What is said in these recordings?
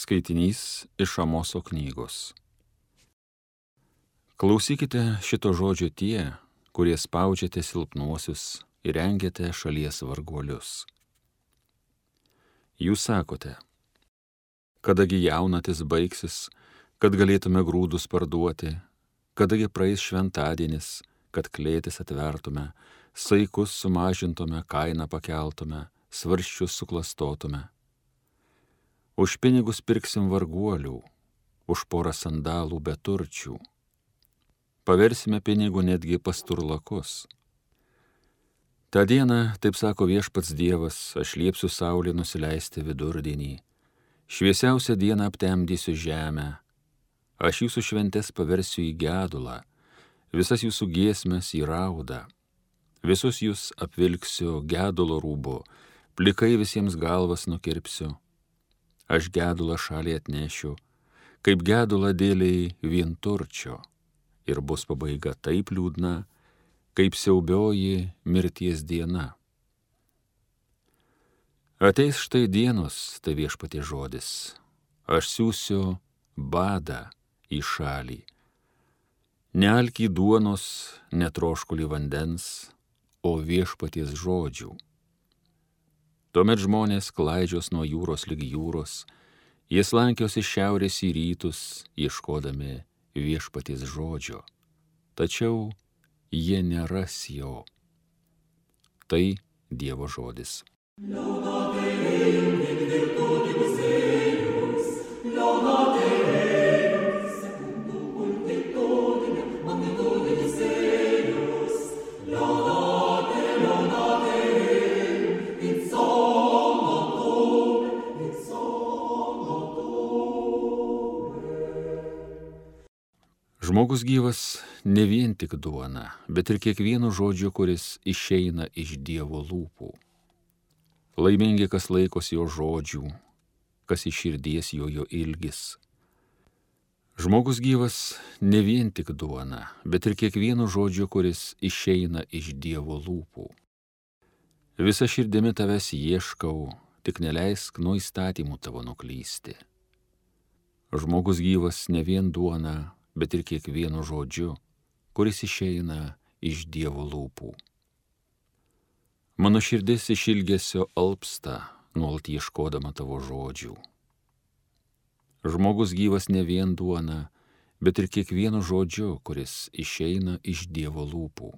Skaitinys iš Amoso knygos. Klausykite šito žodžio tie, kurie spaudžiate silpnuosius ir rengiate šalies varguolius. Jūs sakote, kadagi jaunatis baigsis, kad galėtume grūdus parduoti, kadagi praeis šventadienis, kad klėtis atvertume, saikus sumažintume, kainą pakeltume, svarsčius suklastotume. Už pinigus pirksim varguolių, už porą sandalų beturčių. Paversime pinigų netgi pasturlakus. Ta diena, taip sako viešpats Dievas, aš liepsiu saulei nusileisti vidurdienį. Šviesiausią dieną aptemdysiu žemę. Aš jūsų šventes paversiu į gedulą, visas jūsų giesmes į raudą. Visus jūs apvilksiu gedulo rūbu, plikai visiems galvas nukirpsiu. Aš gedulą šaliai atnešiu, kaip gedulą dėliai vienturčio, ir bus pabaiga taip liūdna, kaip siaubioji mirties diena. Ateis štai dienos, tai viešpaties žodis, aš siųsiu badą į šalį. Nealkį duonos, netroškulį vandens, o viešpaties žodžių. Tuomet žmonės klaidžios nuo jūros lig jūros, jie slankios iš šiaurės į rytus, ieškodami viešpaties žodžio, tačiau jie neras jo. Tai Dievo žodis. Žmogus gyvas ne vien tik duona, bet ir kiekvienu žodžiu, kuris išeina iš Dievo lūpų. Laimingi, kas laikosi jo žodžių, kas iš širdies jo ilgis. Žmogus gyvas ne vien tik duona, bet ir kiekvienu žodžiu, kuris išeina iš Dievo lūpų. Visa širdimi tavęs ieškau, tik neleisk nuo įstatymų tavo nuklysti. Žmogus gyvas ne vien duona, bet ir kiekvienu žodžiu, kuris išeina iš Dievo lūpų. Mano širdis iš ilgesio alpsta, nuolat ieškodama tavo žodžių. Žmogus gyvas ne vien duona, bet ir kiekvienu žodžiu, kuris išeina iš Dievo lūpų.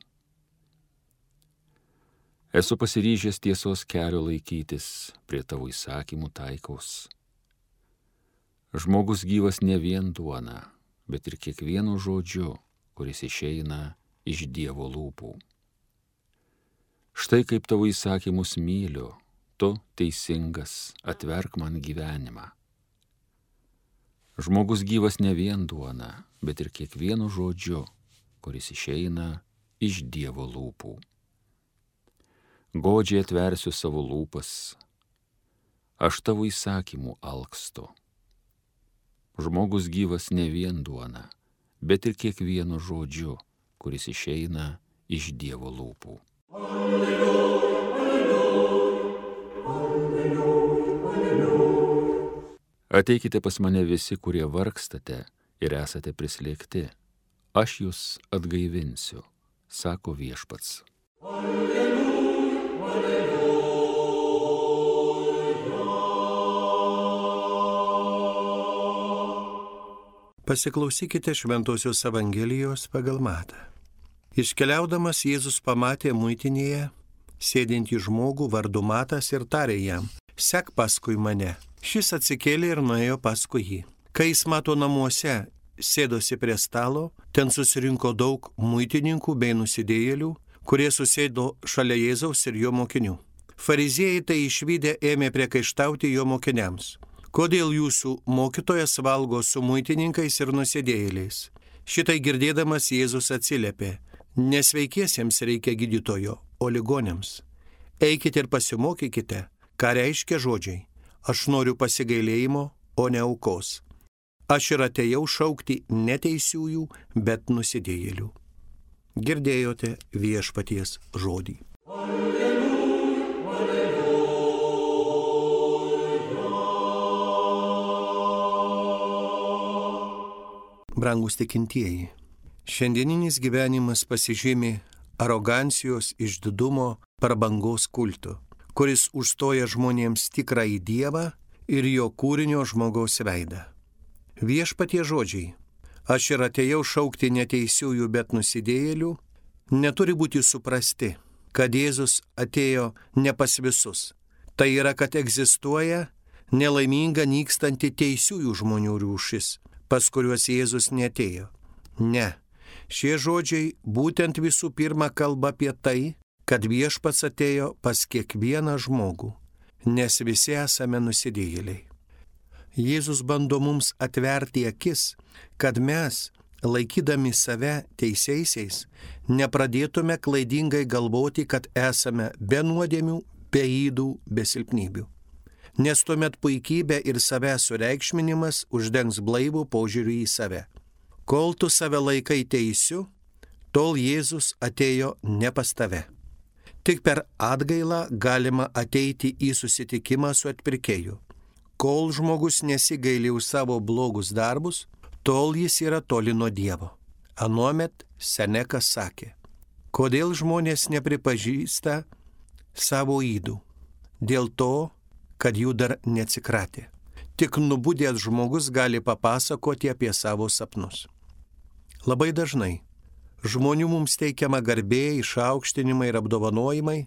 Esu pasiryžęs tiesos kelio laikytis, prie tavo įsakymų taikaus. Žmogus gyvas ne vien duona, bet ir kiekvienu žodžiu, kuris išeina iš Dievo lūpų. Štai kaip tavo įsakymus myliu, tu teisingas, atverk man gyvenimą. Žmogus gyvas ne vien duona, bet ir kiekvienu žodžiu, kuris išeina iš Dievo lūpų. Godžiai atversiu savo lūpas, aš tavo įsakymų alkstu. Žmogus gyvas ne vien duona, bet ir kiekvienu žodžiu, kuris išeina iš Dievo lūpų. Alleluja, alleluja, alleluja, alleluja. Ateikite pas mane visi, kurie vargstate ir esate prislėgti. Aš jūs atgaivinsiu, sako viešpats. Alleluja, alleluja. Pasiklausykite Šventosios Evangelijos pagal Matą. Iškeliaudamas Jėzus pamatė muitinėje sėdintį žmogų vardu Matas ir tarė jam, sek paskui mane. Šis atsikėlė ir nuėjo paskui jį. Kai jis Mato namuose sėdosi prie stalo, ten susirinko daug muitininkų bei nusidėjėlių, kurie susėdo šalia Jėzaus ir jo mokinių. Fariziejai tai išvydę ėmė priekaištauti jo mokiniams. Kodėl jūsų mokytojas valgo su muitininkais ir nusidėjėliais? Šitai girdėdamas Jėzus atsiliepė, nesveikiesiems reikia gydytojo, o ligoniams. Eikite ir pasimokykite, ką reiškia žodžiai. Aš noriu pasigailėjimo, o ne aukos. Aš ir atėjau šaukti ne teisiųjų, bet nusidėjėlių. Girdėjote viešpaties žodį. Alleluja, alleluja. Brangus tikintieji, šiandieninis gyvenimas pasižymi arogancijos, išdidumo, prabangos kultu, kuris užstoja žmonėms tikrąjį Dievą ir jo kūrinio žmogaus veidą. Viešpatie žodžiai: aš ir atėjau šaukti neteisiųjų, bet nusidėjėlių, neturi būti suprasti, kad Jėzus atėjo ne pas visus. Tai yra, kad egzistuoja nelaiminga nykstanti teisiųjų žmonių rūšis, pas kuriuos Jėzus neatėjo. Ne, šie žodžiai būtent visų pirma kalba apie tai, kad viešpats atėjo pas kiekvieną žmogų, nes visi esame nusidėjėliai. Jėzus bando mums atverti akis, kad mes, laikydami save teisiaisiais, nepradėtume klaidingai galvoti, kad esame be nuodėmių, be ydų, be silpnybių. Nes tuomet puikybė ir savęs sureikšminimas uždengs blaivų požiūrį į save. Kol tu save laikai teisiu, tol Jėzus atėjo ne pas tave. Tik per atgailą galima ateiti į susitikimą su atpirkėju. Kol žmogus nesigaili už savo blogus darbus, tol jis yra toli nuo Dievo. Anuomet Senekas sakė: kodėl žmonės nepripažįsta savo ydų? Dėl to, kad jų dar neatsikratė. Tik nubudęs žmogus gali papasakoti apie savo sapnus. Labai dažnai žmonių mums teikiama garbė, išaukštinimai ir apdovanojimai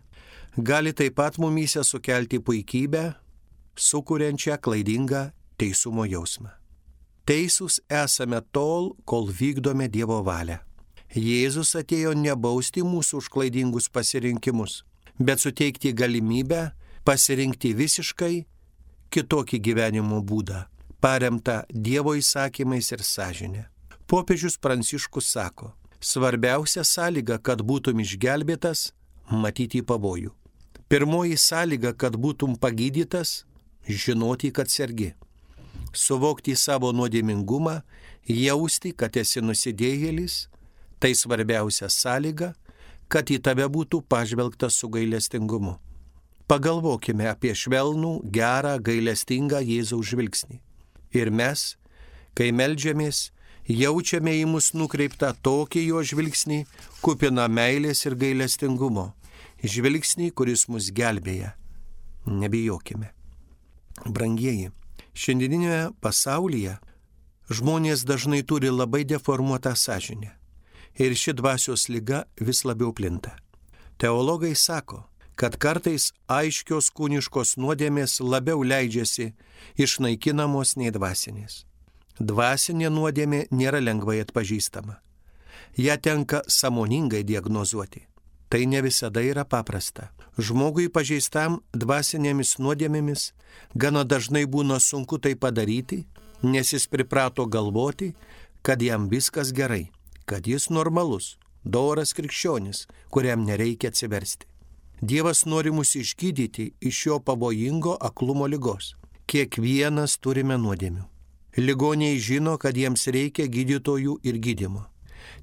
gali taip pat mumyse sukelti puikybę, sukuriančią klaidingą teisumo jausmą. Teisūs esame tol, kol vykdome Dievo valią. Jėzus atėjo nebausti mūsų už klaidingus pasirinkimus, bet suteikti galimybę pasirinkti visiškai kitokį gyvenimo būdą, paremtą Dievo įsakymais ir sąžinė. Popiežius Pranciškus sako: svarbiausia sąlyga, kad būtum išgelbėtas, matyti pavojų. Pirmoji sąlyga, kad būtum pagydytas, žinoti, kad sergi. Suvokti savo nuodėmingumą, jausti, kad esi nusidėjėlis, tai svarbiausia sąlyga, kad į tave būtų pažvelgta su gailestingumu. Pagalvokime apie švelnų, gerą, gailestingą Jėzaus žvilgsnį. Ir mes, kai meldžiamės, jaučiame į mus nukreiptą tokį jo žvilgsnį, kupiną meilės ir gailestingumo. Žvilgsnį, kuris mus gelbėja. Nebijokime. Brangieji, šiandieninėje pasaulyje žmonės dažnai turi labai deformuotą sąžinę ir ši dvasios liga vis labiau plinta. Teologai sako, kad kartais aiškios kūniškos nuodėmės labiau leidžiasi išnaikinamos nei dvasinės. Dvasinė nuodėmė nėra lengvai atpažįstama. Ja tenka sąmoningai diagnozuoti. Tai ne visada yra paprasta. Žmogui pažeistam dvasinėmis nuodėmėmis gana dažnai būna sunku tai padaryti, nes jis priprato galvoti, kad jam viskas gerai, kad jis normalus, doras krikščionis, kuriam nereikia atsiversti. Dievas nori mus išgydyti iš šio pavojingo aklumo ligos. Kiekvienas turime nuodėmių. Ligoniai žino, kad jiems reikia gydytojų ir gydymo.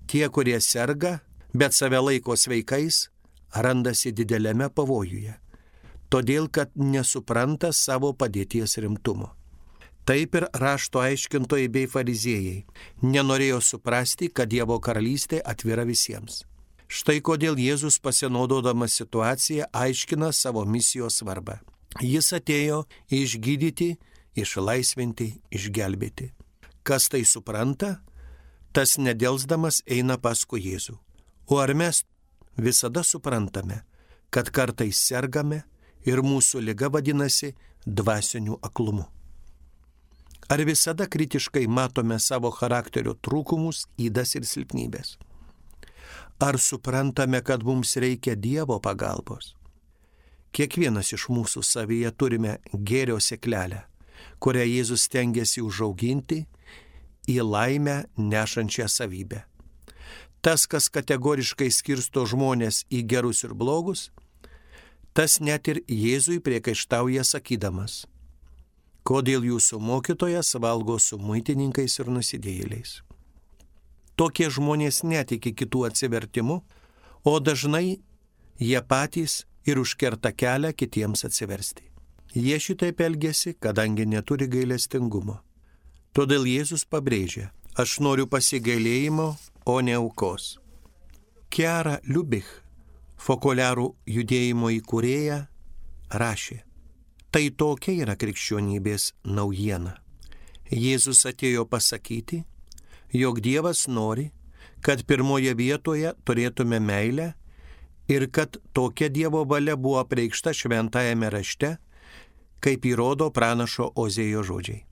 Tie, kurie serga, bet save laiko sveikais, randasi dideliame pavojuje, todėl kad nesupranta savo padėties rimtumo. Taip ir rašto aiškintojai bei fariziejai nenorėjo suprasti, kad Dievo karalystė atvira visiems. Štai kodėl Jėzus, pasinaudodamas situaciją, aiškina savo misijos svarbą. Jis atėjo išgydyti, išlaisvinti, išgelbėti. Kas tai supranta, tas nedelsdamas eina paskui Jėzų. O ar mes visada suprantame, kad kartais sergame ir mūsų liga vadinasi dvasiniu aklumu? Ar visada kritiškai matome savo charakterio trūkumus, ydas ir silpnybės? Ar suprantame, kad mums reikia Dievo pagalbos? Kiekvienas iš mūsų savyje turime gėrio sėklelę, kurią Jėzus stengiasi užauginti į laimę nešančią savybę. Tas, kas kategoriškai skirsto žmonės į gerus ir blogus, tas net ir Jėzui priekaištauja sakydamas: kodėl jūsų mokytojas valgo su muitininkais ir nusidėjėliais. Tokie žmonės netiki kitų atsivertimu, o dažnai jie patys ir užkerta kelią kitiems atsiversti. Jie šitaip elgiasi, kadangi neturi gailestingumo. Todėl Jėzus pabrėžia: Aš noriu pasigailėjimo, o ne aukos. Chiara Lubich, fokuliarų judėjimo įkūrėja, rašė: tai tokia yra krikščionybės naujiena. Jėzus atėjo pasakyti, jog Dievas nori, kad pirmoje vietoje turėtume meilę ir kad tokia Dievo valia buvo apreikšta šventajame rašte, kaip įrodo pranašo Ozėjo žodžiai.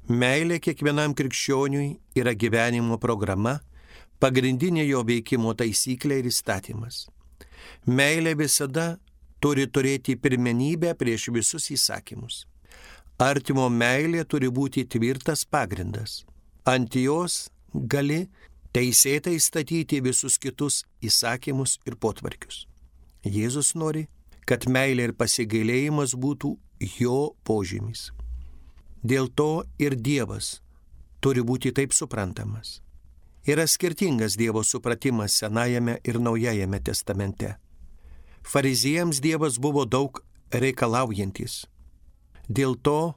Meilė kiekvienam krikščioniui yra gyvenimo programa, pagrindinė jo veikimo taisyklė ir įstatymas. Meilė visada turi turėti pirmenybę prieš visus įsakymus. Artimo meilė turi būti tvirtas pagrindas. Ant jos gali teisėtai statyti visus kitus įsakymus ir potvarkius. Jėzus nori, kad meilė ir pasigailėjimas būtų jo požymis. Dėl to ir Dievas turi būti taip suprantamas. Yra skirtingas Dievo supratimas Senajame ir Naujajame testamente. Fariziejams Dievas buvo daug reikalaujantis. Dėl to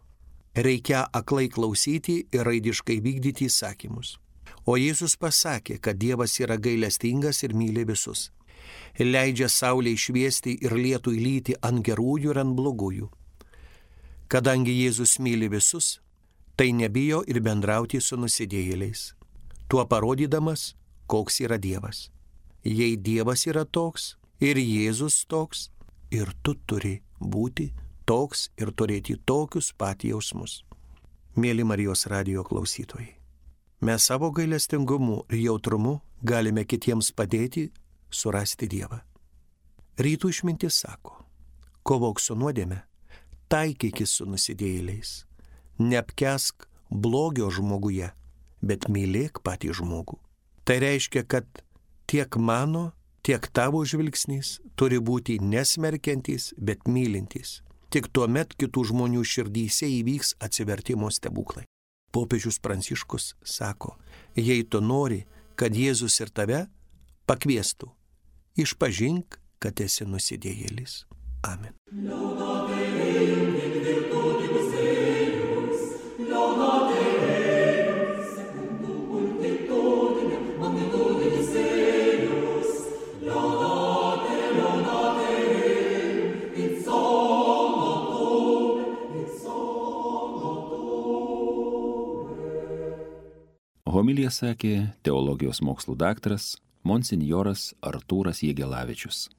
reikia aklai klausyti ir raidiškai vykdyti įsakymus. O Jėzus pasakė, kad Dievas yra gailestingas ir myli visus. Leidžia saulei šviesti ir lietui lyti ant gerųjų ir ant blogųjų. Kadangi Jėzus myli visus, tai nebijo ir bendrauti su nusidėjėliais, tuo parodydamas, koks yra Dievas. Jei Dievas yra toks ir Jėzus toks, ir tu turi būti toks ir turėti tokius pat jausmus. Mėly Marijos radijo klausytojai, mes savo gailestingumu ir jautrumu galime kitiems padėti surasti Dievą. Rytų išmintis sako: kovok su nuodėme, taikykis su nusidėjėliais, neapkesk blogio žmoguje, bet mylėk patį žmogų. Tai reiškia, kad tiek mano, tiek tavo žvilgsnis turi būti nesmerkiantis, bet mylintis. Tik tuomet kitų žmonių širdyse įvyks atsivertimo stebuklai. Popiežius Pranciškus sako: jei tu nori, kad Jėzus ir tave pakviestų, išpažink, kad esi nusidėjėlis. Amen. Homiliją sakė teologijos mokslų daktaras monsinjoras Artūras Jegelavičius.